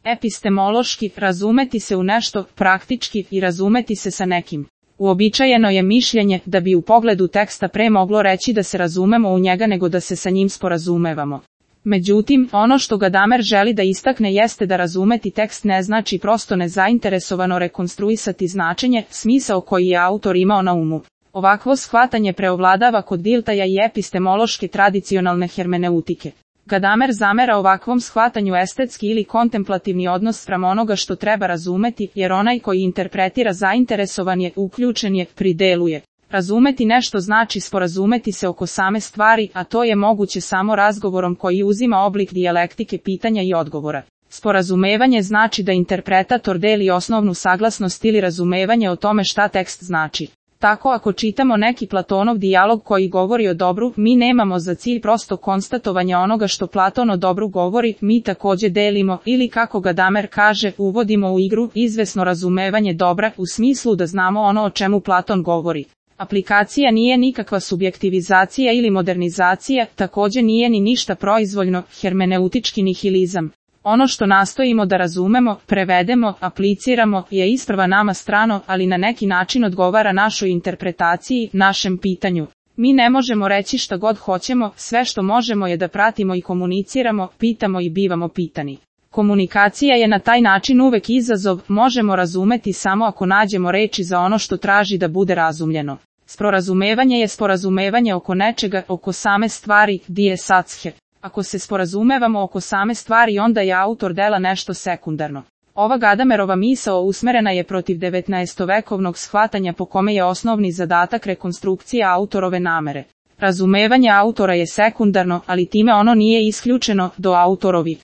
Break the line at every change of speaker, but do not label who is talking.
Epistemološki, razumeti se u nešto, praktički i razumeti se sa nekim. Uobičajeno je mišljenje da bi u pogledu teksta pre moglo reći da se razumemo u njega nego da se sa njim sporazumevamo. Međutim, ono što Gadamer želi da istakne jeste da razumeti tekst ne znači prosto nezainteresovano rekonstruisati značenje, smisao koji je autor imao na umu. Ovakvo shvatanje preovladava kod Diltaja i epistemološke tradicionalne hermeneutike. Gadamer zamera ovakvom shvatanju estetski ili kontemplativni odnos spram onoga što treba razumeti, jer onaj koji interpretira zainteresovan je, uključen je, prideluje. Razumeti nešto znači sporazumeti se oko same stvari, a to je moguće samo razgovorom koji uzima oblik dijalektike pitanja i odgovora. Sporazumevanje znači da interpretator deli osnovnu saglasnost ili razumevanje o tome šta tekst znači. Tako ako čitamo neki Platonov dijalog koji govori o dobru, mi nemamo za cilj prosto konstatovanje onoga što Platon o dobru govori, mi takođe delimo, ili kako Gadamer kaže, uvodimo u igru izvesno razumevanje dobra, u smislu da znamo ono o čemu Platon govori. Aplikacija nije nikakva subjektivizacija ili modernizacija, takođe nije ni ništa proizvoljno, hermeneutički nihilizam. Ono što nastojimo da razumemo, prevedemo, apliciramo, je isprva nama strano, ali na neki način odgovara našoj interpretaciji, našem pitanju. Mi ne možemo reći šta god hoćemo, sve što možemo je da pratimo i komuniciramo, pitamo i bivamo pitani. Komunikacija je na taj način uvek izazov, možemo razumeti samo ako nađemo reči za ono što traži da bude razumljeno. Sporazumevanje je sporazumevanje oko nečega, oko same stvari, die Sache. Ako se sporazumevamo oko same stvari, onda je autor dela nešto sekundarno. Ova Gadamerova misao usmerena je protiv 19-vekovnog shvatanja po kome je osnovni zadatak rekonstrukcija autorove namere. Razumevanje autora je sekundarno, ali time ono nije isključeno do autorovi.